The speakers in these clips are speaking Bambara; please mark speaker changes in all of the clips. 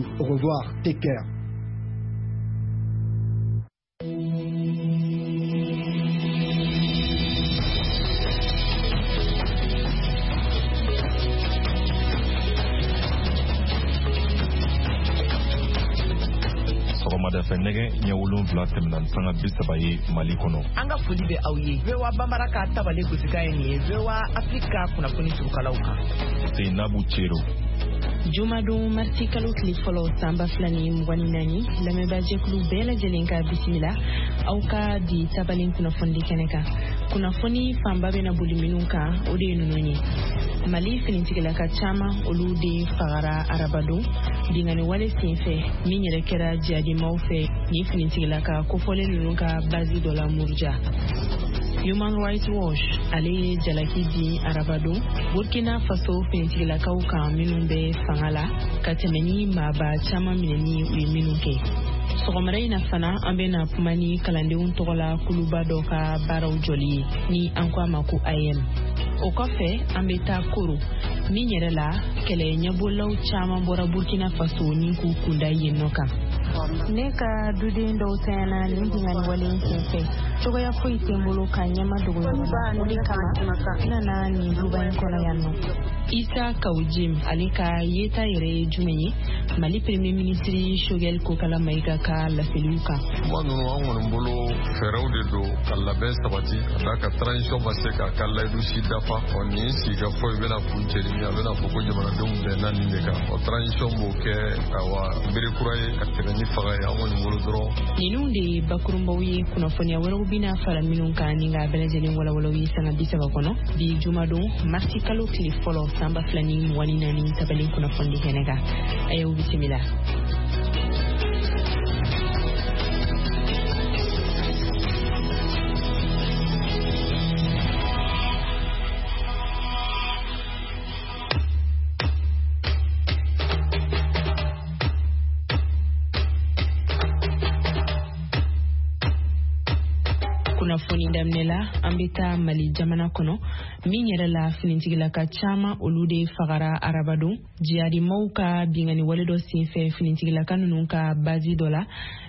Speaker 1: tout. Au revoir. Take care.
Speaker 2: Sɔgɔmada fɛ, nɛgɛ ɲɛ 7 tɛmɛna ni sanga 30 ye Mali kɔnɔ.
Speaker 3: An ka foli bɛ aw ye. VOA Bambara ka tabale gosikan ye nin ye, VOA Afrique ka kunnafoni surukalaw kan.
Speaker 2: Seinabu Cero.
Speaker 4: Jumadon, marisi kalo tile fɔlɔ, san 2024, lamɛnbaajɛkulu bɛɛ lajɛlen ka bisimila aw ka di tabalen kunnafonidi kɛnɛ kan. Kunnafoni fanba bɛna boli minnu kan, o de ye ninnu ye: Mali finitigilaka caman, olu de fagara arabadon binkanni wale senfɛ min yɛrɛ kɛra jihadimaw fɛ nin finitigilaka kofɔlen ninnu ka bazi dɔ la Muruja. Human Rights Watch, ale ye jalaki di arabadon Burkina Faso finitigilakaw kan minnu bɛ fanga la, ka tɛmɛ ni maaba caman minɛni u ye minnu kɛ. Sɔgɔmada in na fana, an bɛna kuma ni kalandenw tɔgɔla kuluba dɔ ka baaraw jɔli ye, ni an ko a ma ko AEEM. O kɔfɛ, an bɛ taa Koro min yɛrɛ la, kɛlɛ ɲɛbɔlaw caman bɔra Burkina Faso ni k'u kunda yen nɔ kan.
Speaker 5: Ne ka duden dɔw tanyana nin binkanni wale in senfɛ. Cogoya foyi tɛ n bolo ka ɲɛma dogo ɲɔgɔn na, o de kama n nana nin duba in kɔnɔ yan nɔ.
Speaker 4: Isa Kawujim, ale ka yeta yɛrɛ ye jumɛn ye Mali Premier ministre Choguel Kokala Mayiga ka laseliw kan?
Speaker 6: Kuma ninnu, an kɔni bolo, fɛɛrɛw de don ka labɛn sabati ka da ka transition ma se k'a ka layidu si dafa. Ɔ, nin sigikafɔ i bɛna kun cɛ ni a bɛna fɔ ko jamanadenw bɛnna nin de kan. Ɔ, transition b'o kɛ, awa, bere kura ye ka tɛmɛ ni faga ye, an kɔni bolo dɔrɔn.
Speaker 4: Ninnu de ye bakurunbaw ye. Kunnafoniya wɛrɛw bɛna fara minnu kan ni k'a bɛɛ lajɛlen walawalaw ye sanga 30 kɔnɔ bi jumadon, marisi kalo tile fɔlɔ, san 2024, tabalen kunnafoni kɛnɛ kan. A y'aw bisimila. Kunnafoni daminɛ la, an bɛ taa Mali jamana kɔnɔ min yɛrɛ la, finitigilaka caman, olu de fagara arabadon jihadimaw ka binkanni wale dɔ senfɛ finitigilaka ninnu ka bazi dɔ la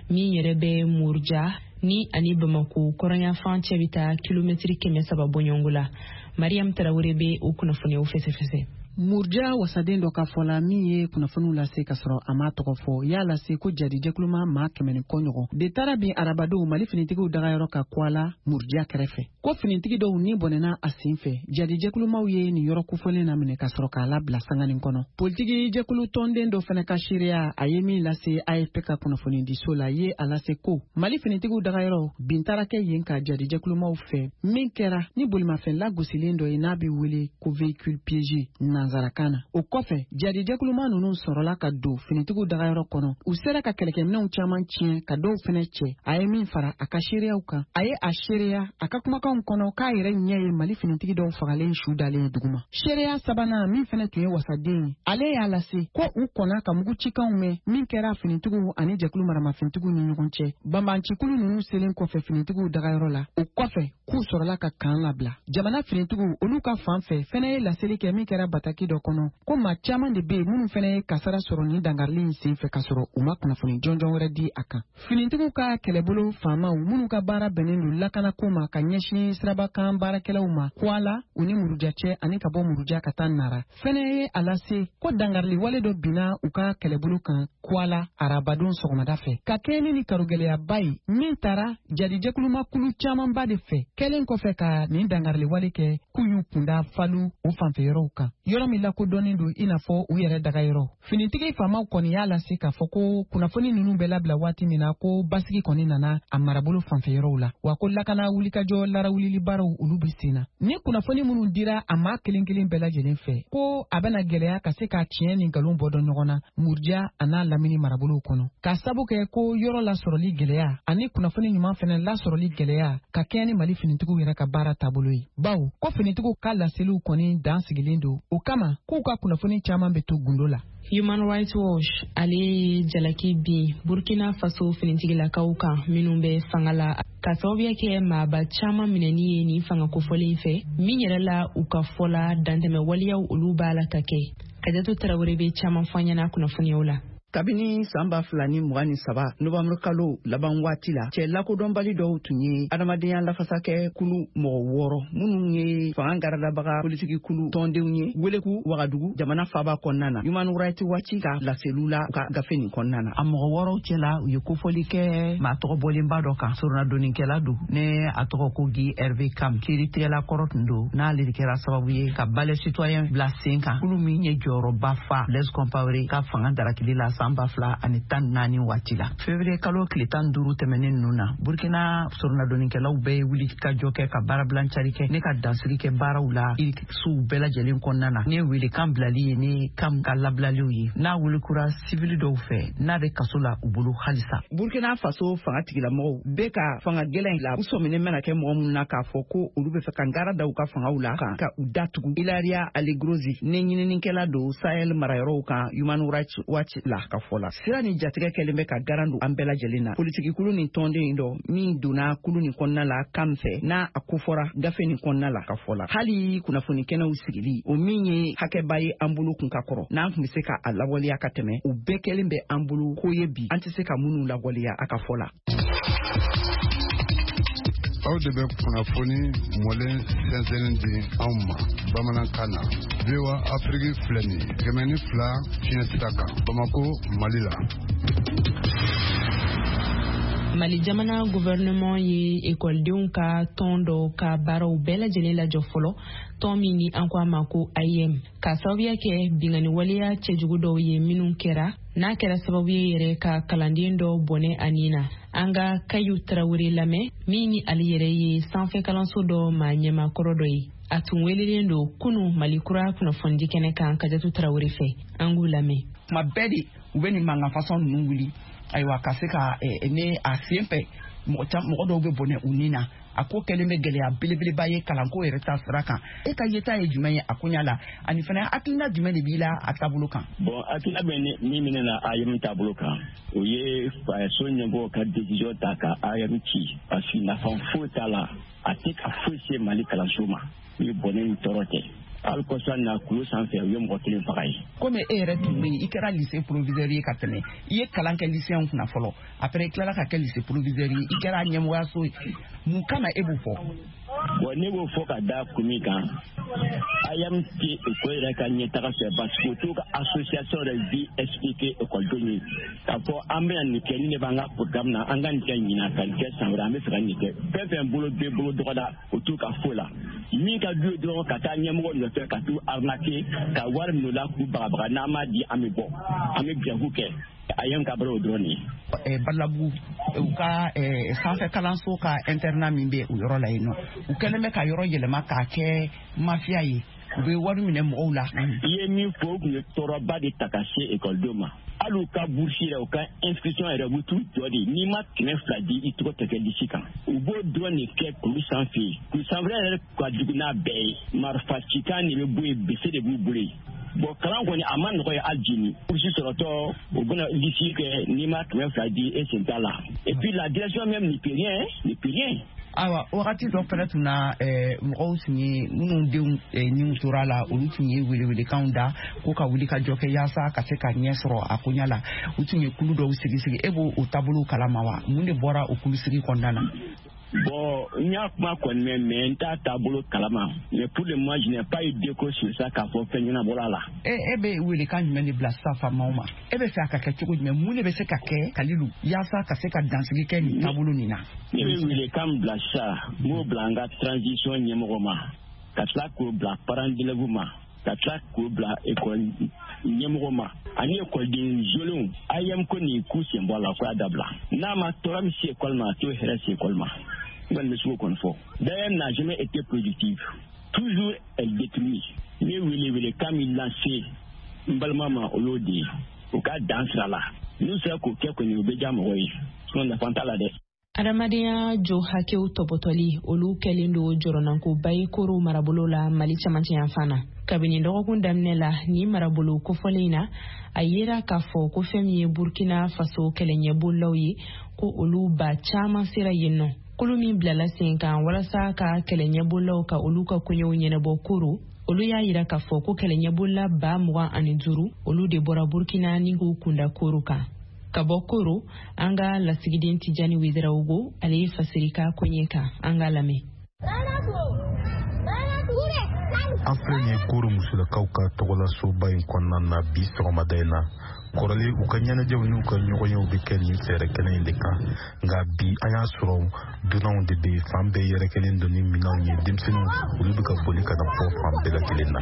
Speaker 4: min yɛrɛ bɛ Muruja, ni ani Bamako kɔrɔnyanfan cɛ bɛ taa kilomɛtiri 300 bɔɲɔgɔnko la. Mariam Tarawele bɛ o kunnafoniyaw fɛsɛfɛsɛ.
Speaker 7: Murja wasaden dɔ ka fɔ la, min ye kunnafoniw lase ka sɔrɔ a m'a tɔgɔ fɔ, y'a lase ko jadi jɛkuluma maa 100 ni kɔ ɲɔgɔn de taara bin arabadon Mali finitigiw dagayɔrɔ ka Kwala Murja kɛrɛfɛ, ko finitigi dɔw ni bɔnɛna a sen fɛ. Jadi jɛkulumaw ye nin yɔrɔ kofɔlen na minɛ ka sɔrɔ k'a labila sanganin kɔnɔ. Politiki jɛkulu tɔnden dɔ fɛnɛ ka seereya, a ye min lase AFP ka kunnafonidiso la, ye a lase ko Mali finitigiw dagayɔrɔ bin taara kɛ yen ka jadi jɛkulumaw fɛ, min kɛra ni bolimafɛn lagosilen dɔ ye n'a bɛ wele ko véhicule piégé nanzarakan na. O kɔfɛ, jadi jɛkuluma ninnu sɔrɔla ka don finitigiw dagayɔrɔ kɔnɔ. U sera ka kɛlɛkɛminɛw caman tiɲɛ, ka dɔw fɛnɛ cɛ. A ye min fara a ka seereyaw kan, a ye a seereya a ka kumakanw kɔnɔ k'a yɛrɛ ɲɛ ye Mali finitigi dɔw fagalen su dalen ye duguma. Seereya sabanan, min fɛnɛ tun ye wasaden ye, ale y'a lase ko u kɔnna ka mugu cikanw mɛn min kɛra finitigiw ani jɛkulu maramafɛntigiw ni ɲɔgɔn cɛ, banbancikulu ninnu selen kɔfɛ finitigiw dagayɔrɔ la. O kɔfɛ, k'u sɔrɔla ka kan labila. Jamana finitigiw, olu ka fan fɛ fɛnɛ ye laseli kɛ min kɛra bataki dɔ kɔnɔ, ko maa caman de bɛ yen minnu fɛnɛ ye kasara sɔrɔ nin dankarili in sen fɛ, ka sɔrɔ u ma kunnafoni jɔnjɔn wɛrɛ di a kan. Finitigiw ka kɛlɛbolo faamaw minnu ka baara bɛnnen don lakanako ma ka ɲɛsin sirabakan baarakɛlaw ma Kwala u ni Muruja cɛ ani ka bɔ Muruja ka taa Nara, fɛnɛ ye a lase ko dangarili wale dɔ binna u ka kɛlɛbolo kan Kwala arabadon sɔgɔmada fɛ, ka kɛɲɛ ni karogɛlɛyaba ye min taara jadijɛkuluma kulu camanba de fɛ. Kɛlen kɔfɛ ka nin dangarili wale kɛ, k'u y'u kunda Falu o fanfɛyɔrɔw kan, yɔrɔ min lakodɔnnen don i n'a fɔ u yɛrɛ dagayɔrɔ. Finitigi faamaw kɔni y'a lase k'a fɔ ko kunnafoni ninnu bɛ labila waati min na, ko basigi kɔni nana a marabolo fanfɛyɔrɔw la, wa ko lakana wulikajɔ larawulili baaraw, olu bɛ sen na. Ni kunnafoni minnu dira a maa kelen kelen bɛɛ lajɛlen fɛ, ko a bɛna gɛlɛya ka se ka tiɲɛ ni nkalon bɔ dɔn ɲɔgɔn na Muruja a n'a lamini marabolow kɔnɔ, k'a sabu kɛ ko yɔrɔ lasɔrɔli gɛlɛya ani kunnafoni ɲuman fɛnɛ lasɔrɔli gɛlɛya, ka kɛɲɛ ni Mali finitigiw yɛrɛ ka baara taabolo ye, bawo ko finitigiw ka laseliw kɔni dan sigilen don. O kama, k'u ka kunnafoni caman bɛ to gundo la.
Speaker 4: Human Rights Watch, ale ye jalaki bin Burkina Faso finitigilakaw kan minnu bɛ fanga la, ka sababuya kɛ maaba caman minɛni ye nin fanga kofɔlen fɛ, min yɛrɛ la, u ka fɔ la, dantɛmɛ waleyaw, olu b'a la ka kɛ. Kajatu Tarawele bɛ caman fɔ an ɲɛna kunnafoniyaw la.
Speaker 1: Kabini san 2023 novembre kalo laban waati la, cɛ lakodɔnbali dɔw tun ye adamadenya lafasakɛ kulu mɔgɔ 6 minnu ye fanga garadabaga politiki kulu tɔndenw ye weleku Wagadugu jamana faba kɔnɔna na, Human Rights Watch ka laseliw la u ka gafe nin kɔnɔna na.
Speaker 3: A mɔgɔ 6 cɛla, u ye kofɔli kɛ maa tɔgɔ bɔlenba dɔ kan, soronadonnikɛla don, ne a tɔgɔ ko Guy Hervé Kam, kiiritigɛla kɔrɔ tun don, n'ale de kɛra sababu ye ka Balai citoyen bila sen kan, kulu min ye jɔyɔrɔba fa Blaise Compaoré ka fanga darakili la san 2014 waati la. Février kalo tile 15 tɛmɛnen ninnu na, Burkina soronadonnikɛlaw bɛɛ ye wuli ka jɔ kɛ ka baarabilan cari kɛ ne ka dansigi kɛ baaraw la sow bɛɛ lajɛlen kɔnɔna na. Ne welekan bilali ye ne Kam ka labilaliw ye, n'a welikura sivili dɔw fɛ, n'a bɛ kaso la u bolo halisa.
Speaker 1: Burkina Faso fanga tigilamɔgɔw bɛ ka fanga gɛlɛn la, u sɔminen mana kɛ mɔgɔ minnu na k'a fɔ ko olu bɛ fɛ ka ngara da u ka fangaw la kan ka u datugu. Ilaria Allegrozzi ne ɲininikɛla don Sahel marayɔrɔw kan Human Rights Watch la ka fɔ la, sira ni jatigɛ kɛlen bɛ ka garan don an bɛɛ lajɛlen na. Politikikulu nin tɔnden dɔ min donna kulu nin kɔnɔna la Kam fɛ, n'a a kofɔra gafe nin kɔnɔna la ka fɔ la, hali kunnafoni kɛnɛw sigili, o min ye hakɛba ye an bolo kun ka kɔrɔ, n'an tun bɛ se ka a lawaleya ka tɛmɛ, o bɛɛ kɛlen bɛ an bolo ko ye bi an tɛ se ka minnu lawaleya, a ka fɔ la.
Speaker 8: Aw de bɛ kunnafoni mɔlen sɛnsɛnni di anw ma bamanankan na. VOA Afiriki filɛ nin ye 102 fiɲɛ sira kan, Bamako, Mali la.
Speaker 4: Mali jamana gouvernement ye ekɔlidenw ka tɔn dɔ ka baaraw bɛɛ lajɛlen lajɔ fɔlɔ, tɔn min ni an ko a ma ko AEEM, k'a sababuya kɛ binkanni waleya cɛjugu dɔw ye minnu kɛra, n'a kɛra sababu ye yɛrɛ ka kalanden dɔ bɔnɛ a nin na. An ka Kayu Tarawele lamɛn, min ni ale yɛrɛ ye sanfɛ kalanso dɔ maa ɲɛmakɔrɔ dɔ ye. A tun welelen don kunu Mali kura kunnafonidi kɛnɛ kan Kajatu Tarawele fɛ. An k'u lamɛn.
Speaker 1: Tuma bɛɛ de u bɛ nin mankan fasɔn ninnu wuli, ayiwa, ka se ka ne a sen fɛ mɔgɔ dɔw bɛ bɔnɛ u ni na. A ko kɛlen bɛ gɛlɛya belebeleba ye kalanko yɛrɛ ta sira kan. E ka yeta ye jumɛn ye a koɲa la, ani fana hakilina jumɛn de b'i la a taabolo kan?
Speaker 9: Bon, hakilina bɛ min minɛ na AEEM taabolo kan, o ye faso ɲɛmɔgɔw ka décision ta ka AEEM ci, parce que nafa foyi t'a la, a tɛ ka foyi se Mali kalanso ma ni bɔnɛ ni tɔɔrɔ tɛ. Hali kɔsa na, kulu sanfɛ, u ye mɔgɔ kelen faga ye.
Speaker 1: Komi e yɛrɛ tun bɛ yen, i kɛra lycée proviseur ye ka tɛmɛ, i ye kalan kɛ lycéenw kunna fɔlɔ, après i tilala ka kɛ lycée proviseur ye, i kɛra ɲɛmɔgɔyaso ye, mun kama e b'o fɔ?
Speaker 9: Bon, ne b'o fɔ ka da kun min kan, AEEM tɛ école yɛrɛ ka ɲɛtaga fɛ, parce que u t'u ka association yɛrɛ vie expliquer écoledenw ye k'a fɔ an bɛna nin kɛ, ni ne b'an ka programme na, an ka nin kɛ ɲinan, ka nin kɛ san wɛrɛ, an bɛ fɛ ka nin kɛ. Fɛn fɛn bolo bɛ bolo dɔgɔda, o t'u ka foyi la. Min ka d'u ye dɔrɔn, ka taa ɲɛmɔgɔ nɔfɛ ka t'u arnaquer, ka wari minɛ u la, k'u bagabaga, n'an m'a di, an bɛ bɔ, an bɛ grève kɛ. AEEM ka baara o dɔrɔn de ye.
Speaker 1: Balabugu, u ka sanfɛ kalanso ka internat min bɛ o yɔrɔ la yen nɔ, u kɛlen bɛ ka yɔrɔ yɛlɛma k'a kɛ mafia ye, u bɛ wari minɛ mɔgɔw la.
Speaker 9: I ye min fɔ, u tun ye tɔɔrɔba de ta ka se ekɔlidenw ma. Hali u ka bourse yɛrɛ, u ka inscription yɛrɛ, u bɛ t'u jɔ de, n'i ma 200 di, i tɔgɔ tɛ kɛ liste kan. U b'o dɔrɔn de kɛ kulu sanfɛ yen. Kulu sanfɛ yɛrɛ ka jugu n'a bɛɛ ye, marifa cikan de bɛ bɔ yen, bese de b'u bolo yen. Bon, kalan kɔni a ma nɔgɔ ye hali jini. Bourse sɔrɔtɔ, u bɛna liste kɛ, n'i ma 200 di, e sen t'a la. Et puis la direction même ne peut rien, ne peut rien.
Speaker 1: Ayiwa, wagati dɔ fɛnɛ tun na, mɔgɔw tun ye minnu denw niw tora la, olu tun ye welewelekanw da ko ka wuli ka jɔ kɛ yaasa ka se ka ɲɛ sɔrɔ a koɲa la. U tun ye kulu dɔw sigi sigi. E b'o o taabolow kalama wa? Mun de bɔra o kulu sigi kɔnɔna na?
Speaker 9: Bon, n y'a kuma kɔni mɛn, mais n t'a taabolo kalama. Mais pour le moment, je n'ai pas eu d'écho sur ça k'a fɔ fɛn ɲɛnabɔra la.
Speaker 1: E bɛ welekan jumɛn de bila sisan faamaw ma? E bɛ fɛ a ka kɛ cogo jumɛn? Mun de bɛ se ka kɛ, Kalilu, yaasa ka se ka dansigi kɛ nin taabolo nin na?
Speaker 9: Ne bɛ welekan bila sisan, n b'o bila an ka transition ɲɛmɔgɔ ma, ka tila k'o bila parents d'élèves ma, ka tila k'o bila école ɲɛmɔgɔ ma ani ekɔliden jolenw. AEEM ko nin k'u sen bɔ a la, ko y'a dabila. N'a ma tɔɔrɔ min se école ma, a t'o hɛrɛ se école ma. N kɔni bɛ se k'o kɔni fɔ. D'ailleurs, n'a jamais été productive, toujours elle détruit. Ne wele welekan min lase n balima ma, o y'o de ye, u ka dan sira la. N'u sera k'o kɛ kɔni, o bɛ diya mɔgɔ ye, sinon nafa t'a la dɛ.
Speaker 4: Adamadenya jo hakɛw tɔpɔtɔli, olu kɛlen don jɔrɔnankoba ye Koro marabolo la, Mali camancɛ yanfan na. Kabini dɔgɔkun daminɛ la, ni marabolo kofɔlen in na, a yera k'a fɔ ko fɛn min ye Burkina Faso kɛlɛɲɛbolilaw ye, ko olu ba caman sera yen nɔ. Kulu min bilala sen kan walasa ka kɛlɛɲɛbolilaw ka olu ka koɲɛw ɲɛnabɔ Koro. Olu y'a yira k'a fɔ ko kɛlɛɲɛbolila 25 000, olu de bɔra Burkina ni k'u kunda Koro kan. Ka bɔ Koro, an ka lasigiden Tijani Wederawogo, ale ye fasiri ka koɲɛ kan. An ka lamɛn.
Speaker 10: An filɛ nin ye Koro musolakaw ka tɔgɔlasoba in kɔnɔna na bi sɔgɔmada in na. Kɔrɔlen, u ka ɲɛnajɛw n'u ka ɲɔgɔnyew bɛ kɛ nin fɛɛrɛ kɛnɛ in de kan, nka bi an y'a sɔrɔ dunanw de bɛ fan bɛɛ yɛrɛkɛlen don ni minɛnw ye. Denmisɛnninw, olu bɛ ka boli ka na bɔ fan bɛɛ lajɛlen na.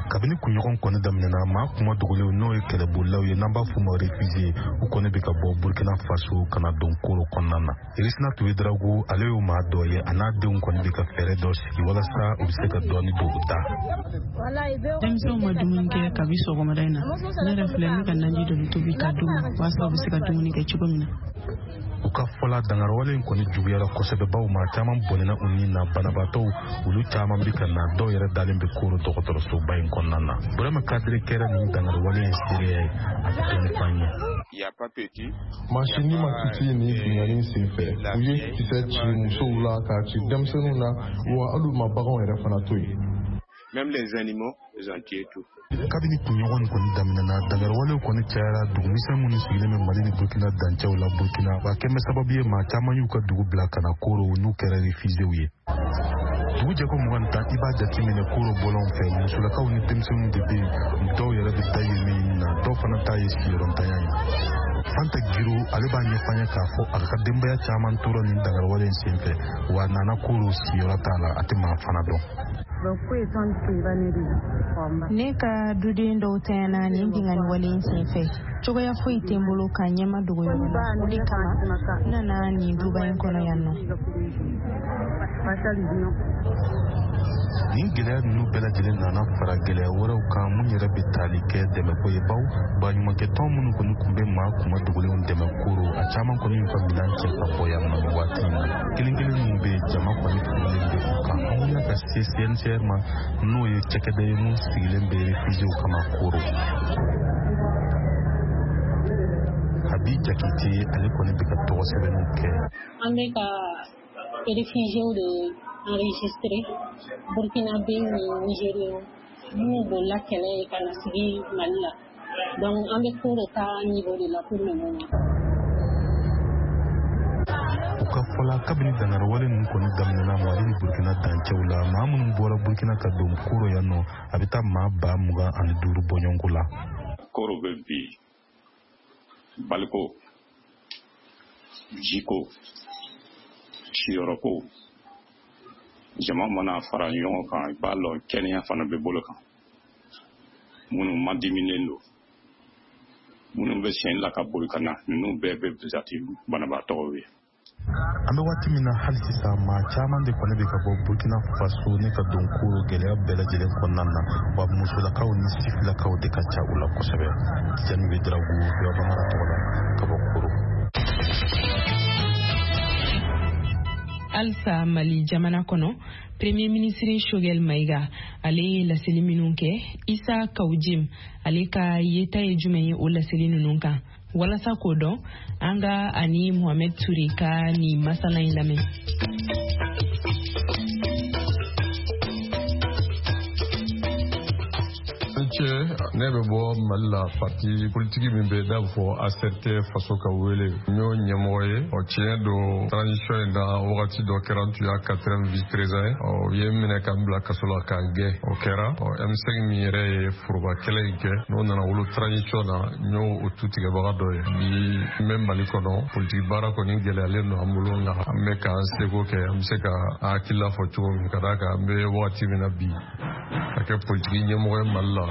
Speaker 10: Kabini kunɲɔgɔn kɔni daminɛna, maa kuma dogolenw, n'o ye kɛlɛbolilaw ye, n'an b'a f'u ma réfugié, u kɔni bɛ ka bɔ Burkina Faso ka na don Koro kɔnɔna na. Irisina Tuwedrago, ale y'o maa dɔ ye. A n'a denw kɔni bɛ ka fɛɛrɛ dɔ sigi walasa u bɛ se ka dɔɔni don u da.
Speaker 11: Denmisɛnw ma dumuni kɛ kabi sɔgɔmada in na. Ne yɛrɛ filɛ, ne ka naji dɔ de tobi ka d'u ma walasa u bɛ se ka dumuni kɛ cogo min na.
Speaker 10: U ka fɔla, dangariwale in kɔni juguyara kosɛbɛ, baw maa caman bɔnɛna u ni na. Banabaatɔw, olu caman bɛ ka na, dɔw yɛrɛ dalen bɛ Koro dɔgɔtɔrɔsoba in kɔnɔna na. Burama Kadiri kɛra nin dangariwale in seereya ye, a bɛ dɔɔni f'an ye.
Speaker 6: Maa si ni ma kisi nin binkanni sen fɛ. U ye kisɛ ci musow la, k'a ci denmisɛnninw na, wa hali u ma baganw yɛrɛ fana to yen.
Speaker 12: Même les animaux, ils ont tué tout.
Speaker 10: Kabini kunɲɔgɔn nin kɔni daminɛna, dangariwalew kɔni cayara dugumisɛn minnu sigilen bɛ Mali ni Burkina dancɛw la. Burkina wa kɛmɛ sababu ye maa caman y'u ka dugu bila ka na Koro, n'u kɛra réfugiéw ye. Dugu jɛko 21, i b'a jateminɛ Koro bɔlɔn fɛ, musolakaw ni denmisɛnninw de bɛ yen. Dɔw yɛrɛ bɛ taa yen min na, dɔw fana ta ye sigiyɔrɔntanya ye. Fanta Giro, ale b'a ɲɛfɔ an ye k'a fɔ a ka denbaya caman tora nin dangariwale in senfɛ, wa a nana Koro, sigiyɔrɔ t'a la, a tɛ maa fana dɔn.
Speaker 5: Ne ka duden dɔw tanyana nin binkanni wale in senfɛ. Cogoya foyi tɛ n bolo ka ɲɛma dogo yɔrɔ la, o de kama n nana nin duba in kɔnɔ yan nɔ.
Speaker 10: Nin gɛlɛya ninnu bɛɛ lajɛlen nana fara gɛlɛya wɛrɛw kan mun yɛrɛ bɛ tali kɛ dɛmɛko ye, baw baɲumankɛtɔn minnu kɔni tun bɛ maa kuma dogolenw dɛmɛ Koro, a caman kɔni y'u ka minɛn cɛ ka bɔ yan nɔ nin waati in na. Kelen kelen minnu bɛ yen, jama kɔni furulen bɛ u kan. An wulila ka se CNCR ma, n'o ye cakɛda ye mun sigilen bɛ réfugiéw kama Koro. Habi Jakite, ale kɔni bɛ ka tɔgɔ sɛbɛnniw kɛ.
Speaker 13: An bɛ ka réfugiés de enregistré, Burkinabé ni Nigériens minnu bolila kɛlɛ ye ka na sigi Mali la. Donc an bɛ Koro ta niveau de la pour le moment.
Speaker 10: U ka fɔla, kabini dangariwale ninnu kɔni daminɛna Mali ni Burkina dancɛw la, maa minnu bɔra Burkina ka don Koro yan nɔ, a bɛ taa maa 25 000 bɔɲɔgɔnko la.
Speaker 12: Koro bɛ bi baliko, jiko, siyɔrɔko, jama mana fara ɲɔgɔn kan, i b'a lɔn kɛnɛya fana bɛ bolo kan. Minnu madiminen don, minnu bɛ sen la ka boli ka na, ninnu bɛɛ bɛ jate banabaatɔw ye.
Speaker 10: An bɛ waati min na hali sisan, maa caman de kɔni bɛ ka bɔ Burkina Faso ne ka don Koro gɛlɛya bɛɛ lajɛlen kɔnɔna na, wa musolakaw ni sifilakaw de ka ca u la kosɛbɛ. Tijani Wederago, VOA Bambara tɔgɔ la, ka bɔ Koro.
Speaker 4: Halisa Mali jamana kɔnɔ, Premier ministre Choguel Maïga, ale ye laseli minnu kɛ, Isa Kawujim, ale ka yeta ye jumɛn ye o laseli ninnu kan? Walasa k'o dɔn, an ka ani Mohamed Toure ka nin masala in lamɛn.
Speaker 6: Cɛ, ne bɛ bɔ Mali la, parti politiki min bɛ n'a bɛ fɔ ACRT Faso ka wele, n y'o ɲɛmɔgɔ ye. Ɔ, tiɲɛ don, transition in na, wagati dɔ kɛra, n tun y'a quatrième vice président ye. Ɔ, u ye n minɛ ka n bila kaso la k'an gɛn, o kɛra. Ɔ, M5 min yɛrɛ ye foroba kɛlɛ in kɛ, n'o nana wolo transition na, n y'o o tutigɛbaga dɔ ye. Bi n bɛ Mali kɔnɔ, politiki baara kɔni gɛlɛyalen don an bolo, nka an bɛ k'an seko kɛ, an bɛ se ka hakilila fɔ cogo min, ka d'a kan an bɛ wagati min na bi, ka kɛ politiki ɲɛmɔgɔ ye Mali la,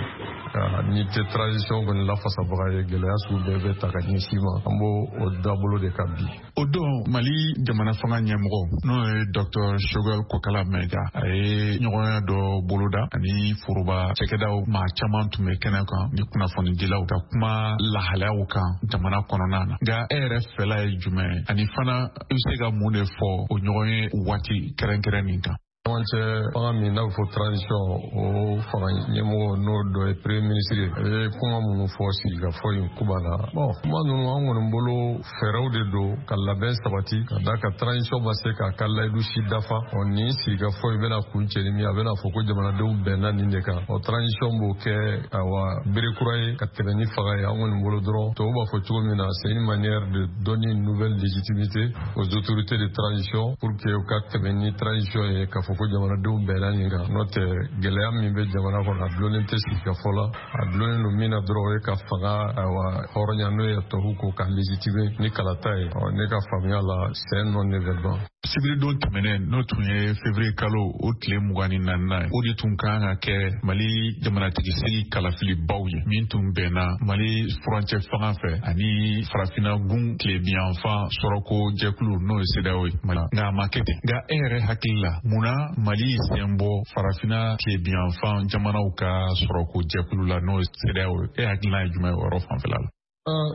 Speaker 6: n'i tɛ transition kɔni lafasabaga ye, gɛlɛya sugu bɛɛ bɛ ta ka ɲɛsin ma. An b'o o dabolo de kan bi.
Speaker 14: O don, Mali jamana fanga ɲɛmɔgɔ, n'o ye Dr Choguel Kokala Maïga, a ye ɲɔgɔnya dɔ boloda ani foroba cakɛdaw maa caman tun bɛ kɛnɛ kan ni kunnafonidilaw, ka kuma lahalayaw kan jamana kɔnɔna na. Nka e yɛrɛ fɛla ye jumɛn ye, ani fana i bɛ se ka mun de fɔ o ɲɔgɔn ye waati kɛrɛnkɛrɛn nin kan?
Speaker 6: Cɛmancɛ fanga min n'a bɛ fɔ transition, o fanga ɲɛmɔgɔ, n'o dɔ ye premier ministre ye, a ye kuma minnu fɔ sigikafɔ in kuba la, bon, kuma ninnu, an kɔni bolo, fɛɛrɛw de don ka labɛn sabati ka da ka transition ma se k'a ka layidu si dafa. Ɔ, nin sigikafɔ in bɛna kuncɛ ni min, a bɛna fɔ ko jamanadenw bɛnna nin de kan. Ɔ, transition b'o kɛ, awa, bere kura ye ka tɛmɛ ni fanga ye. An kɔni bolo dɔrɔn, tubabu b'a fɔ cogo min na, c'est une manière de donner une nouvelle légitimité aux autorités de transition pour que u ka tɛmɛ ni transition ye, k'a fɔ ko jamanadenw bɛnna nin kan. N'o tɛ, gɛlɛya min bɛ jamana kɔnɔ, a dulonnen tɛ sigikafɔ la. A dulonnen don min na dɔrɔn, o ye ka fanga, awa, hɔrɔnya, n'o ye tubabu ko ka légitimer ni kalata ye. Ɔ, ne ka faamuya la, c'est un non événement.
Speaker 14: Sibiridon tɛmɛnen, n'o tun ye février kalo o tile 24nan ye, o de tun kan ka kɛ Mali jamanatigisigi kalafilibaw ye, min tun bɛnna Mali furancɛ fanga fɛ ani Farafina gun tilebiyanfan sɔrɔko jɛkulu, n'o ye CEDEAO ye. Nka a ma kɛ ten. Nka e yɛrɛ hakili la, mun na Mali sen bɔ Farafina tilebiyanfan jamanaw ka sɔrɔko jɛkulu la, n'o ye CEDEAO ye? E hakilina ye jumɛn ye o yɔrɔ fanfɛla la?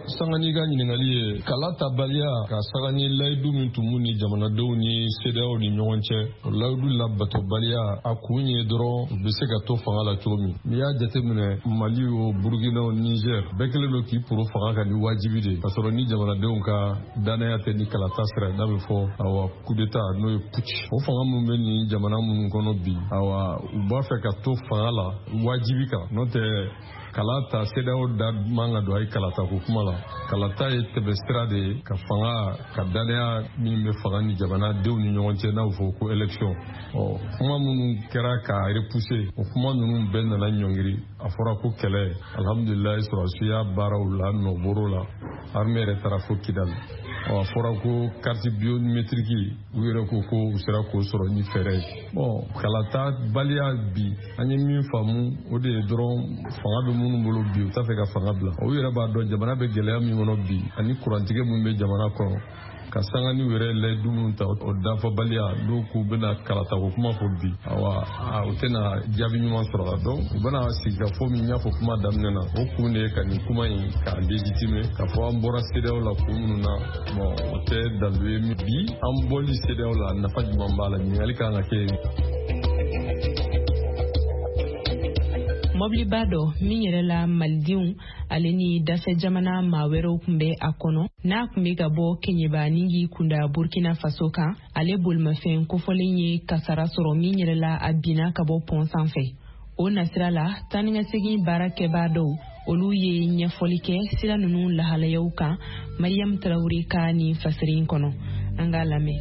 Speaker 6: Sanga n'i ka ɲininkali ye, kala tabaliya ka saga ni layidu min tun b'u ni jamanadenw ni CEDEAO ni ɲɔgɔn cɛ, o layidu labatobaliya, a kun ye dɔrɔn u bɛ se ka to fanga la cogo min. N'i y'a jateminɛ, Mali o, Burukina o, Niger, bɛɛ kɛlen don k'i poro fanga kan ni wajibi de, ka sɔrɔ ni jamanadenw ka danaya tɛ, ni kalata sira, n'a bɛ fɔ, awa, coup d'état, n'o ye putsch. O fanga minnu bɛ nin jamana minnu kɔnɔ bi, awa, u b'a fɛ ka to fanga la wajibi kan. N'o tɛ, kala ta, CEDEAO da man ka don a ye kalata ko kuma la. Kalata ye tɛmɛ sira de ye ka fanga ka danaya min bɛ fanga ni jamanadenw ni ɲɔgɔn cɛ, n'a bɛ fɔ ko élection. Ɔ, kuma minnu kɛra k'a repousser, o kuma ninnu bɛɛ nana ɲɔngiri. A fɔra ko kɛlɛ. Alhamdulilayi, sɔrɔdasiya baaraw la nɔboro la, armée yɛrɛ taara fo Kidali. Ɔ, a fɔra ko carte biométrique, u yɛrɛ ko ko u sera k'o sɔrɔ ni fɛɛrɛ ye. Bon, kalata baliya bi, an ye min faamu, o de ye dɔrɔn fanga bɛ minnu bolo bi, u t'a fɛ ka fanga bila. U yɛrɛ b'a dɔn jamana bɛ gɛlɛya min kɔnɔ bi, ani kurantigɛ min bɛ jamana kɔnɔ, ka sanga ni yɛrɛ layidu minnu ta, o dafabaliya. N'u k'u bɛna kalata ko kuma fɔ bi, awa, u tɛna jaabi ɲuman sɔrɔ la. Donc u bɛna sigikafɔ min y'a fɔ kuma daminɛ na, o kun de ye ka nin kuma in k'a légitimer, k'a fɔ an bɔra CEDEAO la kun minnu na. Bon, o tɛ dalu ye. Bi, an bɔli CEDEAO la, nafa jumɛn b'a la? Ɲininkali kan ka kɛ.
Speaker 4: Mɔbiliba dɔ min yɛrɛ la malidenw ale ni dafɛ jamana maa wɛrɛw tun bɛ a kɔnɔ, n'a tun bɛ ka bɔ Keɲeba ni k'i kunda Burkina Faso kan, ale bolimafɛn kofɔlen ye kasara sɔrɔ min yɛrɛ la a binna ka bɔ pɔn sanfɛ. O nasira la, taanikasegin baara kɛbaa dɔw, olu ye ɲɛfɔli kɛ sira ninnu lahalayaw kan. Mariam Tarawele ka nin fasiri in kɔnɔ, an k'a lamɛn.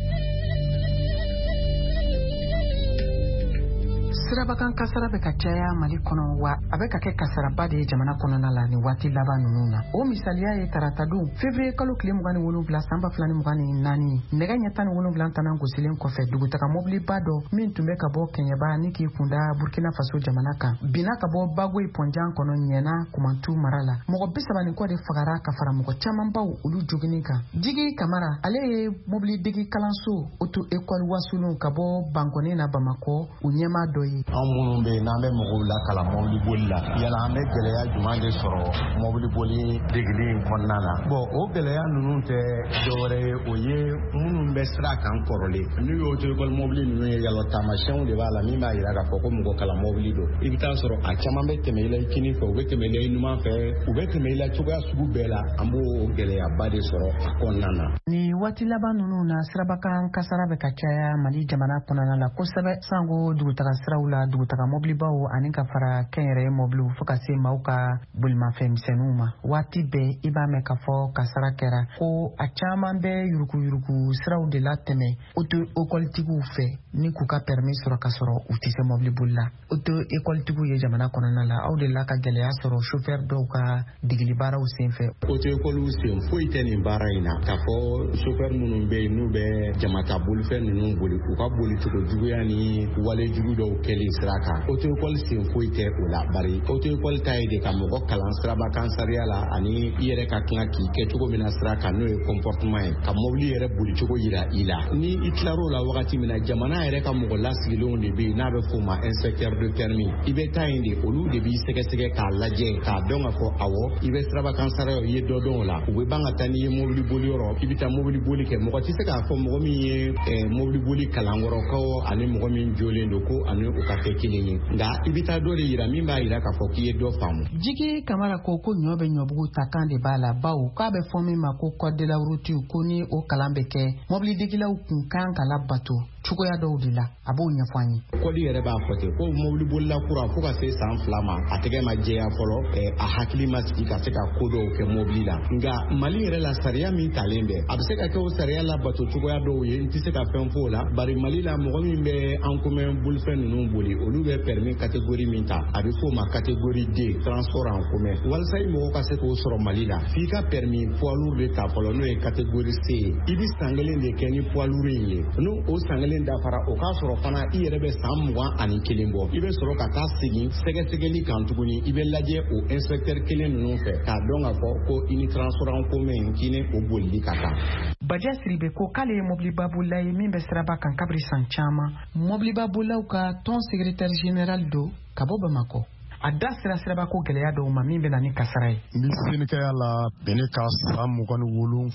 Speaker 7: Sirabakan kasara bɛ ka caya Mali kɔnɔ, wa a bɛ ka kɛ kasaraba de ye jamana kɔnɔna la nin waati laban ninnu na. O misaliya ye taratadon février kalo tile 27 san 2024, nɛgɛ ɲɛ 17 tanan gosilen kɔfɛ, dugutaga mobiliba dɔ min tun bɛ ka bɔ Kɛɲɛba ni k'i kunda Burkina Faso jamana kan, binna ka bɔ Bagoyi pɔnjan kɔnɔ Ɲɛna Kumantu mara la. Mɔgɔ 30 ni kɔ de fagara ka fara mɔgɔ camanbaw olu jogini kan. Jigi Kamara, ale ye mobilidegi kalanso auto école Wasulon ka bɔ Bankɔni na Bamakɔ, u ɲɛmaa dɔ ye.
Speaker 15: Anw minnu bɛ yen n'an bɛ mɔgɔw lakalan mɔbili boli la, yala an bɛ gɛlɛya jumɛn de sɔrɔ mɔbili boli degeli in kɔnɔna na? Bon, o gɛlɛya ninnu tɛ dɔwɛrɛ ye, o ye minnu bɛ sira kan kɔrɔlen. N'u ye auto école mɔbili ninnu ye, yalɔ taamasiyɛnw de b'a la min b'a yira k'a fɔ ko mɔgɔ kalan mɔbili don. I bɛ taa sɔrɔ a caman bɛ tɛmɛ i la i kini fɛ, u bɛ tɛmɛ i la i numan fɛ, u bɛ tɛmɛ i la cogoya sugu bɛɛ la. An b'o gɛlɛyaba de sɔrɔ a kɔnɔna na.
Speaker 7: Nin waati laban ninnu na, sirabakan kasara bɛ ka caya Mali jamana kɔnɔna la kosɛbɛ, sango dugutaga siraw la, dugutaga mɔbilibaw ani ka fara kɛnyɛrɛye mɔbiliw, fo ka se maaw ka bolimafɛn misɛnninw ma. Waati bɛɛ i b'a mɛn k'a fɔ kasara kɛra, ko a caman bɛ yurukuyuruku siraw de la tɛmɛ auto écoletigiw fɛ ni k'u ka permis sɔrɔ ka sɔrɔ u tɛ se mɔbili boli la. Auto écoletigiw ye jamana kɔnɔna la, aw de la ka gɛlɛya sɔrɔ chauffeur dɔw ka degeli baaraw senfɛ?
Speaker 15: Auto école sen foyi tɛ nin baara in na. K'a fɔ chauffeur minnu bɛ yen n'u bɛ jamata bolifɛn ninnu boli, u ka bolicogo juguya ni wale jugu dɔw kɛ. kɛli sira kan, auto école sen foyi tɛ o la, bari auto école ta ye de ka mɔgɔ kalan sirabakan sariya la ani i yɛrɛ ka kan k'i kɛ cogo min na sira kan, n'o ye comportement ye, ka mobili yɛrɛ bolicogo yira i la. Ni i tilar'o la wagati min na, jamana yɛrɛ ka mɔgɔ lasigilenw de bɛ yen n'a bɛ f'o ma inspecteur de permis. I bɛ taa yen de, olu de b'i sɛgɛsɛgɛ k'a lajɛ k'a dɔn k'a fɔ awɔ, i bɛ sirabakan sariya, i ye dɔ dɔn o la. U bɛ ban ka taa n'i ye mobili boli yɔrɔ, i bɛ taa mobili boli kɛ. Mɔgɔ tɛ se k'a fɔ mɔgɔ min ye mobili boli kalankɔrɔ ko ani mɔgɔ min jolen don ko ani o ka kɛ kelen ye, nka i bɛ taa dɔ de yira min b'a yira k'a fɔ k'i ye dɔ faamu.
Speaker 7: Jigi Kamara ko ko ɲɔ bɛ ɲɔbugu ta kan de b'a la, bawo k'a bɛ fɔ min ma ko code de la route, ko ni o kalan bɛ kɛ, mɔbilidegilaw kun kan ka labato cogoya dɔw de la. A b'o ɲɛfɔ an ye.
Speaker 15: Kɔdi yɛrɛ b'a fɔ ten ko mɔbilibolila kura, fo ka se san 2 ma, a tɛgɛ ma jɛya fɔlɔ, a hakili ma sigi ka se ka ko dɔw kɛ mɔbili la. Nka Mali yɛrɛ la, sariya min talen bɛ, a bɛ se ka kɛ o sariya labato cogoya dɔw ye, n tɛ se ka fɛn fɔ o la, bari Mali la, mɔgɔ min bɛ en commun bolifɛn ninnu boli, olu bɛ permis catégorie min ta, a bɛ f'o ma catégorie D, transport en commun. Walasa i mɔgɔ ka se k'o sɔrɔ Mali la, f'i ka permis poids lourd de ta fɔlɔ, n'o ye catégorie C ye. I bɛ san 1 de kɛ ni poids lourd in ye. N'o o san 1 dafara, o k'a sɔrɔ fana i yɛrɛ bɛ san 21 bɔ, i bɛ sɔrɔ ka taa segin sɛgɛsɛgɛli kan tuguni. I bɛ lajɛ o inspecteur kelen ninnu fɛ k'a dɔn k'a fɔ ko i ni transport en commun, k'i ni o bolili ka kan.
Speaker 16: Baja Siribe ko k'ale ye mobilibabolilaw ye min bɛ siraba kan kabiri san caman.
Speaker 7: Mobilibabolilaw ka tɔn secrétaire général don ka bɔ Bamakɔ.
Speaker 16: A da sera sirabako gɛlɛya dɔw ma min bɛ na ni kasara ye.
Speaker 17: N bɛ senikɛya la bɛn ka san 27,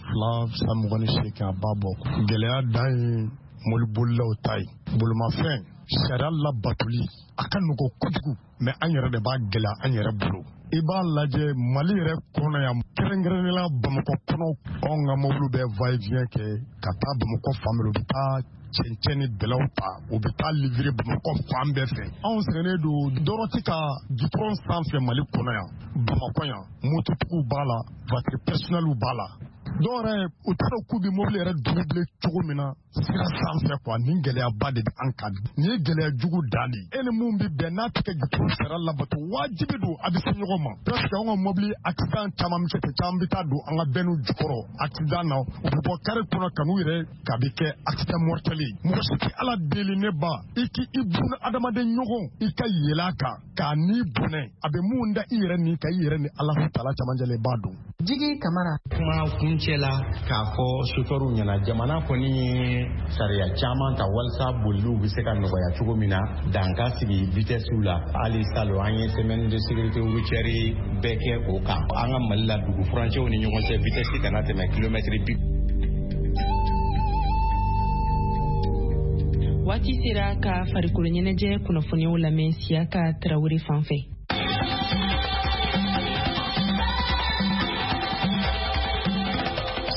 Speaker 17: san 28, a b'a bɔ. Gɛlɛya dan ye mɔbilibolilaw ta ye. Bolimafɛn sariya labatoli a ka nɔgɔ kojugu, mɛ an yɛrɛ de b'a gɛlɛya an yɛrɛ bolo. I b'a lajɛ Mali yɛrɛ kɔnɔ yan, kɛrɛnkɛrɛnnenya la Bamakɔ kɔnɔ, anw ka mɔbiliw bɛ va et vient kɛ ka taa Bamakɔ fan bɛɛ, u bɛ taa cɛncɛn ni bɛlɛw ta, u bɛ taa livrer Bamakɔ fan bɛɛ fɛ. Anw sɛgɛnnen don dɔrɔti ka gitɔrɔn sanfɛ Mali kɔnɔ yan, Bamakɔ yan, mototigiw b'a la, voiture personnelle b'a la. Dɔw yɛrɛ, u t'a dɔn k'u bɛ mobili yɛrɛ doubler cogo min na sira sanfɛ quoi. Nin gɛlɛyaba de bɛ an kan, nin ye gɛlɛya jugu dan de ye. E ni mun bɛ bɛn n'a tɛ kɛ gitɔrɔn sariya labato, wajibi don a bɛ se ɲɔgɔn ma. Presque anw ka mobili accident caman bɛ kɛ ten, caman bɛ taa don an ka bɛnniw jukɔrɔ accident na, u bɛ bɔ kari kɔnɔ ka n'u yɛrɛ k'a bɛ kɛ accident mortel ye. Mɔgɔ si tɛ Ala deli, ne ba, i k'i buna adamaden ɲɔgɔn, i ka yɛlɛ a kan k'a ni bɔnɛ, a bɛ mun da i yɛrɛ ni ka i yɛrɛ ni Alahu taala camancɛ la, i b'a dɔn.
Speaker 7: Jigi Kamara.
Speaker 15: Kuma kuncɛ la, k'a fɔ sofɛriw ɲɛna, jamana kɔni ye sariya caman ta walasa boliliw bɛ se ka nɔgɔya cogo min na, dan ka sigi vitɛsiw la. Hali salon, an ye semaine de sécurité routière bɛɛ kɛ o kan. An ka Mali la, dugu furancɛw ni ɲɔgɔn cɛ, vitɛsi kana tɛmɛ kilomɛtiri bi.
Speaker 4: Waati sera ka farikolo ɲɛnajɛ kunnafoniyaw lamɛn Siyaka Tarawele fan fɛ.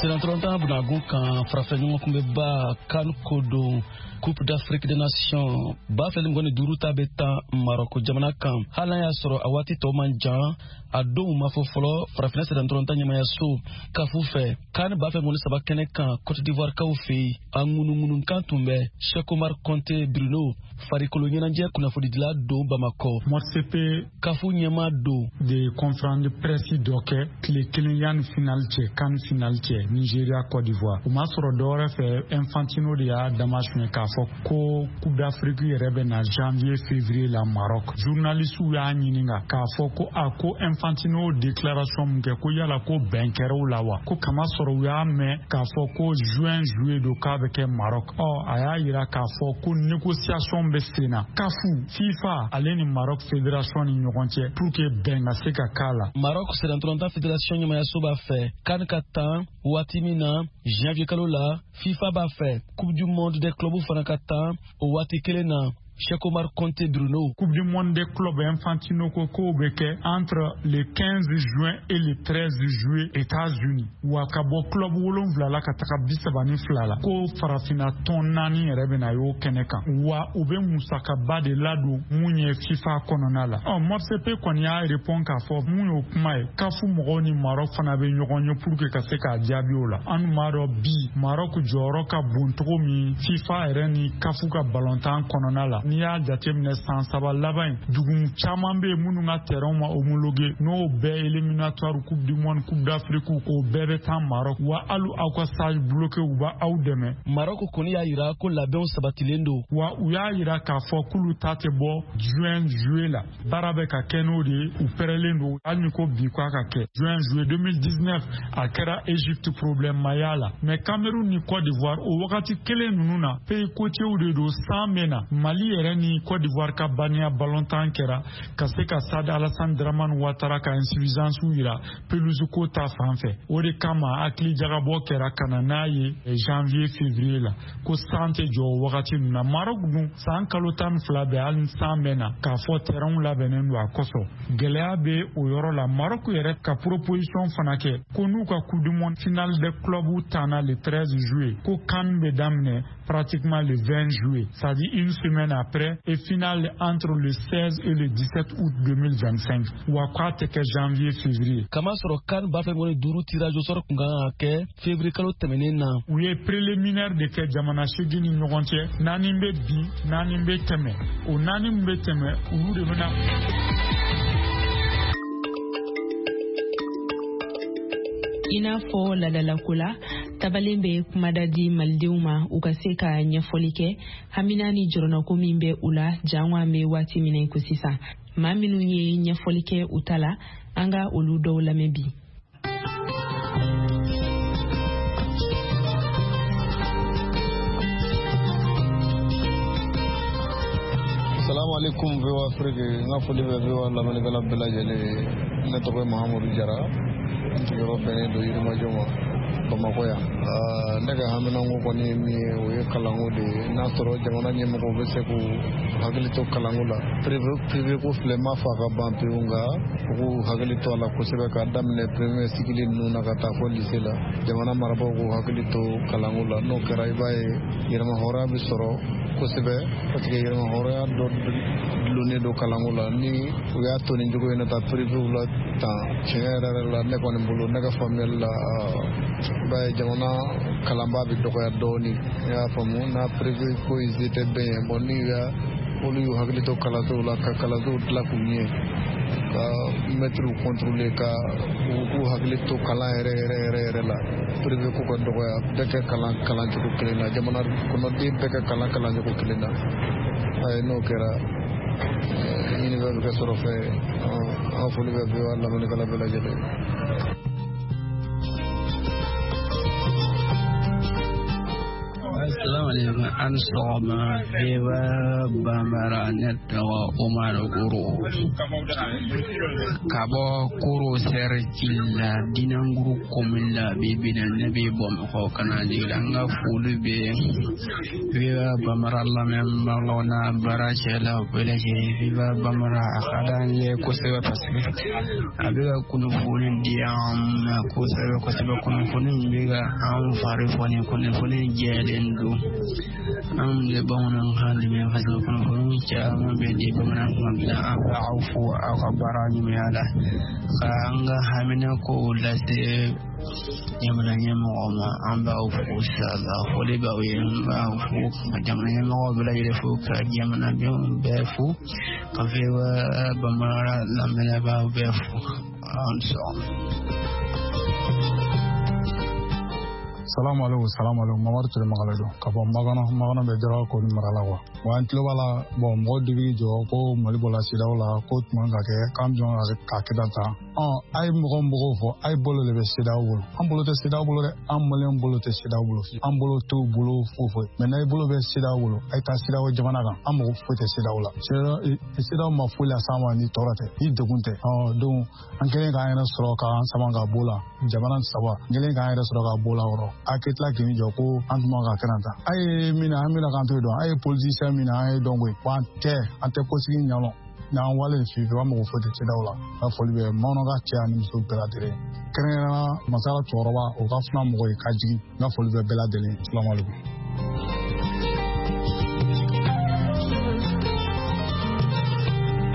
Speaker 18: Senatɔrɔntan bunagun kan, farafɛ ɲɔgɔn kunbɛba CAN ko don, Coupe d'Afrique des Nations 2025 ta bɛ tan Marɔko jamana kan. Hali n'a y'a sɔrɔ a waati tɔ man jan, a donw ma fɔ fɔlɔ farafinna sennantolatan ɲɛmayaso CAF fɛ. CAN 2023 kɛnɛ kan, Cote d'Ivoire kaw fɛ yen, a ŋunuŋunukan tun bɛ. Cheikh Omar Conte Bruno, farikolo ɲɛnajɛ kunnafonidila don Bamakɔ.
Speaker 19: MOTCP
Speaker 18: CAF ɲɛmaa don.
Speaker 19: De conférence de presse dɔ kɛ tile kelen yanni final cɛ, CAN final cɛ, Nigeria Côte d'Ivoire. O ma sɔrɔ dɔwɛrɛ fɛ, Infantino de y'a damasuɲɛ k'a fɔ ko Coupe d'Afrique yɛrɛ bɛ na janvier février la Maroc. Journalistes y'a ɲininka k'a fɔ ko a ko Infantino déclaration mun kɛ, ko yala ko bɛn kɛra o la wa, ko kama sɔrɔ u y'a mɛn k'a fɔ ko juin juillet don k'a bɛ kɛ Maroc. Ɔ a y'a yira k'a fɔ ko négociation bɛ sen na CAF, FIFA ale ni Maroc fédération ni ɲɔgɔn cɛ pour que bɛn ka se ka k'a la.
Speaker 18: Maroc sennantolatan fédération ɲɛmayaso b'a fɛ CAN ka tan waati min na, janvier kalo la. FIFA b'a fɛ Coupe du monde des clubs fana ka tan o waati kelen na. Cheikh Omar Conte Bruno.
Speaker 19: Coupe du monde des clubs, Infantino ko k'o bɛ kɛ entre le 15 juin et le 13 juillet États-Unis. Wa ka bɔ club 7 la ka taga 32 la, ko farafinna tɔn naani yɛrɛ bɛna y'o kɛnɛ kan, wa u bɛ musakaba de ladon mun ye FIFA kɔnɔna la. Ɔ MOTCP kɔni y'a répond k'a fɔ mun y'o kuma ye, CAF mɔgɔw ni Maroc fana bɛ ɲɔgɔn ye pour que ka se k'a jaabi o la. An dun b'a dɔn bi Maroc jɔyɔrɔ ka bon cogo min FIFA yɛrɛ ni CAF ka balontan kɔnɔna la. N'i y'a jateminɛ san 3 laban in, dugu caman bɛ yen minnu ka terrain ma homologué, n'o bɛɛ éliminatoire Coupe du monde, Coupe d'Afrique, o bɛɛ bɛ taa Maroc. Wa hali aw ka stade bloqué, u b'aw dɛmɛ.
Speaker 18: Maroc kɔni y'a yira ko labɛnw sabatilen don.
Speaker 19: Wa u y'a yira k'a fɔ k'olu ta tɛ bɔ juin juillet la. Baara bɛ ka kɛ n'o de ye, u pɛrɛlen don. Hali ni ko bi k'a ka kɛ juin juillet 2019, a kɛra Égypte, problème ma y'a la. Mais Cameroun ni Côte d'Ivoire, o wagati kelen ninnu na, pays côtiers de don, san bɛ na. Mali yɛrɛ ni Côte d'Ivoire ka banniya ballontan kɛra ka se ka Stade Alassane Dramane Ouattara ka insuffisance yira pelouse ko ta fan fɛ. O de kama hakili jagabɔ kɛra ka na n'a ye janvier février la, ko san tɛ jɔ o wagati ninnu na. Maroc dun, san kalo 12 bɛɛ, hali ni san bɛ na, k'a fɔ terrain labɛnnen don a kosɔn, gɛlɛya bɛ o yɔrɔ la. Maroc yɛrɛ ka proposition fana kɛ ko n'u ka Coupe du monde finale des clubs tanna le 13 juillet, ko CAN bɛ daminɛ pratiquement le 20 juillet, c'est-à-dire une semaine après, et finale entre le 16 et le 17 août 2025. Wa k'a tɛ kɛ janvier février.
Speaker 18: Kamasɔrɔ CAN 2025 tirage au sort kun kan ka kɛ février kalo tɛmɛnen na.
Speaker 19: U ye préliminaire de kɛ jamana 8 ni ɲɔgɔn cɛ, 4 bɛ bin, 4 bɛ tɛmɛ. O 4 min bɛ tɛmɛ, olu de bɛna.
Speaker 4: I n'a fɔ ladalako la, tabalen bɛ kumada di malidenw ma, u ka se ka ɲɛfɔli kɛ hamina ni jɔrɔnako min bɛ u la, jango an bɛ waati min na i ko sisan. Maa minnu ye ɲɛfɔli kɛ u ta la, an ka olu dɔw lamɛn bi.
Speaker 6: Salamu alaikum VOA Afrique, n ka foli bɛ VOA lamɛnnikɛla bɛɛ lajɛlen ye. Ne tɔgɔ ye Mahamudu Jara, n sigiyɔrɔ bɛnnen don Yirimajɔ ma, Bamakɔ yan. Ne ka haminanko kɔni ye min ye, o ye kalanko de ye. N'a sɔrɔ jamana ɲɛmɔgɔw bɛ se k'u hakili to kalanko la. Privé ko filɛ, n m'a fɔ a ka ban pewu, nka u k'u hakili to a la kosɛbɛ, k'a daminɛ premier cycle ninnu na ka taa fɔ lycée la. Jamana marabaaw k'u hakili to kalanko la. N'o kɛra, i b'a ye yɛrɛmahɔrɔnya bɛ sɔrɔ kosɛbɛ, parce que yɛrɛmahɔrɔnya dɔ dulonnen don kalanko la. Ni u y'a to nin cogo in na taa privéw la tan, tiɲɛ yɛrɛ yɛrɛ la, ne kɔni bolo, ne ka faamuyali la, i b'a ye jamana kalanbaa bɛ dɔgɔya dɔɔni. I y'a faamu, n'a privé ko in se tɛ bɛn ye. Bon, ni y'u olu y'u hakili to kalansow la, ka kalansow dilan k'u ɲɛ, ka mɛtiriw contrôler, ka u k'u hakili to kalan yɛrɛ yɛrɛ yɛrɛ yɛrɛ la, privé ko ka dɔgɔya, bɛɛ kɛ kalan kalancogo kelen na, jamana kɔnɔden bɛɛ kɛ kalan kalancogo kelen na. Ayi, n'o kɛra, ɲinifɛn bɛ kɛ sɔrɔ fɛn ye. An foli bɛ VOA lamɛnnikɛla bɛɛ lajɛlen.
Speaker 20: Assalamu alaikum, an sɔgɔma VOA Bambara. Ne tɔgɔ Umaru Goro ka bɔ Koro cercle la, Dinanguru commune la. Bi bi na, ne bɛ Bamakɔ ka na jigin. An ka foli bɛ VOA Bambara lamɛnbagaw n'a baarakɛlaw bɛɛ lajɛlen. VOA Bambara, a ka d'an ye kosɛbɛ, parce que a bɛ ka kunnafoni di an ma kosɛbɛ kosɛbɛ. Kunnafoni min bɛ ka an fari foni, kunnafoni jɛlen don. An bɛ bamanankan dɛmɛ, parce que kunnafoni caman bɛ di bamanankan bila. An bɛ aw fo aw ka baara ɲumanya la, ka an ka hamina kow lase jamana ɲɛmɔgɔw ma. An b'aw fo sala, foli b'aw ye. N b'aw fo ka jamana ɲɛmɔgɔw bɛɛ lajɛlen fo, ka jamanadenw bɛɛ fo, ka VOA Bambara lamɛnbagaw bɛɛ fo. An sɔgɔma.
Speaker 21: Salamu alaikum, salamu alaikum. Mamadu Ture Magale don ka bɔ Magana. Magana bɛ Jara ko ni mara la wa. Wa an tulo b'a la, bɔn, mɔgɔ dɔ b'i jɔ ko Mali bɔla CEDEAO la, ko tuma ka kɛ k'an jɔn ka kɛ tan tan. Ɔ, a ye mɔgɔ mɔgɔw fɔ, a ye bolo de bɛ CEDEAO bolo. An bolo tɛ CEDEAO bolo dɛ, an maliyɛn bolo tɛ CEDEAO bolo, an bolo t'u bolo foyi foyi. Mɛ n'a ye bolo bɛ CEDEAO bolo, a ye taa CEDEAO jamana kan. An mago foyi tɛ CEDEAO la. CEDEAO ma foyi las'an ma ni tɔɔrɔ tɛ, ni degun tɛ. Ɔ donc, an kɛlen k'an yɛrɛ sɔrɔ k'an sama ka bɔ la, jamana saba, n kɛlen k'an yɛrɛ sɔrɔ ka bɔ la yɔrɔ, a kɛ tila k'i jɔ ko an tun man ka kɛ tan. A ye min na, an bɛna k'an to yen dɔn. A ye politicien min na, an ye dɔn koyi. Wa an tɛ, an tɛ kosigi ɲɛ n'an wale fiyewu. An mago foyi tɛ CEDEAO la. N ka foli bɛ bamananw ka cɛ ani muso bɛɛ lajɛlen, kɛrɛnkɛrɛnnenya masala cɛkɔrɔba, o ka funa mɔgɔ ye ka jigin. N ka foli bɛ bɛɛ lajɛlen. Salamu alaikum.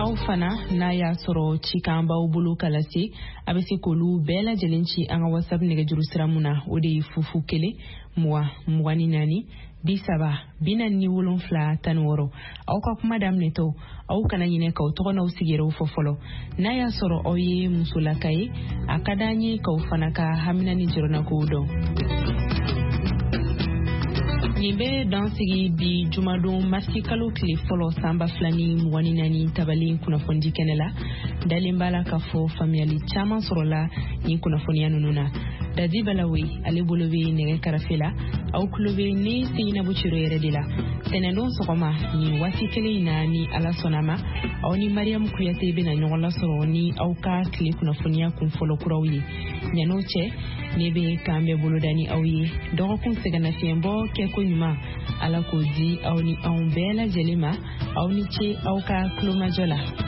Speaker 4: Aw Aw fana, n'a y'a sɔrɔ cikan b'aw bolo ka lase, a bɛ se k'olu bɛɛ lajɛlen ci an ka WhatsApp nɛgɛjuru sira mun na, o de ye 0 0 20 24 30 47 16. Aw ka kuma daminɛtɔ, aw kana ɲinɛ k'aw tɔgɔ n'aw sigiyɔrɔw fɔ fɔlɔ. N'a y'a sɔrɔ aw ye musolaka ye, a ka d'an ye k'aw fana ka hamina ni jɔrɔnakow dɔn. Nin bɛ dan sigi bi jumadon marisi kalo tile fɔlɔ san 2024 tabalen kunnafonidi kɛnɛ la. Dalen b'a la k'a fɔ faamuyali caman sɔrɔla nin kunnafoniya ninnu na. Dadi Balawe ale bolo bɛ nɛgɛ karafe la. Aw tulo bɛ ne Seyinabu Ciro yɛrɛ de la. Tɛnɛndon sɔgɔma nin waati kelen in na, ni Ala sɔnna ma, aw ni Mariyamu Kuyate bɛna ɲɔgɔn lasɔrɔ ni aw ka tile kunnafoniya kun fɔlɔ kuraw ye. Ɲan'o cɛ, ne bɛ k'an bɛɛ boloda ni aw ye. Dɔgɔkun sɛgɛnnafiɲɛbɔ kɛko ɲuman, Ala k'o di aw ni anw bɛɛ lajɛlen ma. Aw ni ce aw ka tulomajɔ la.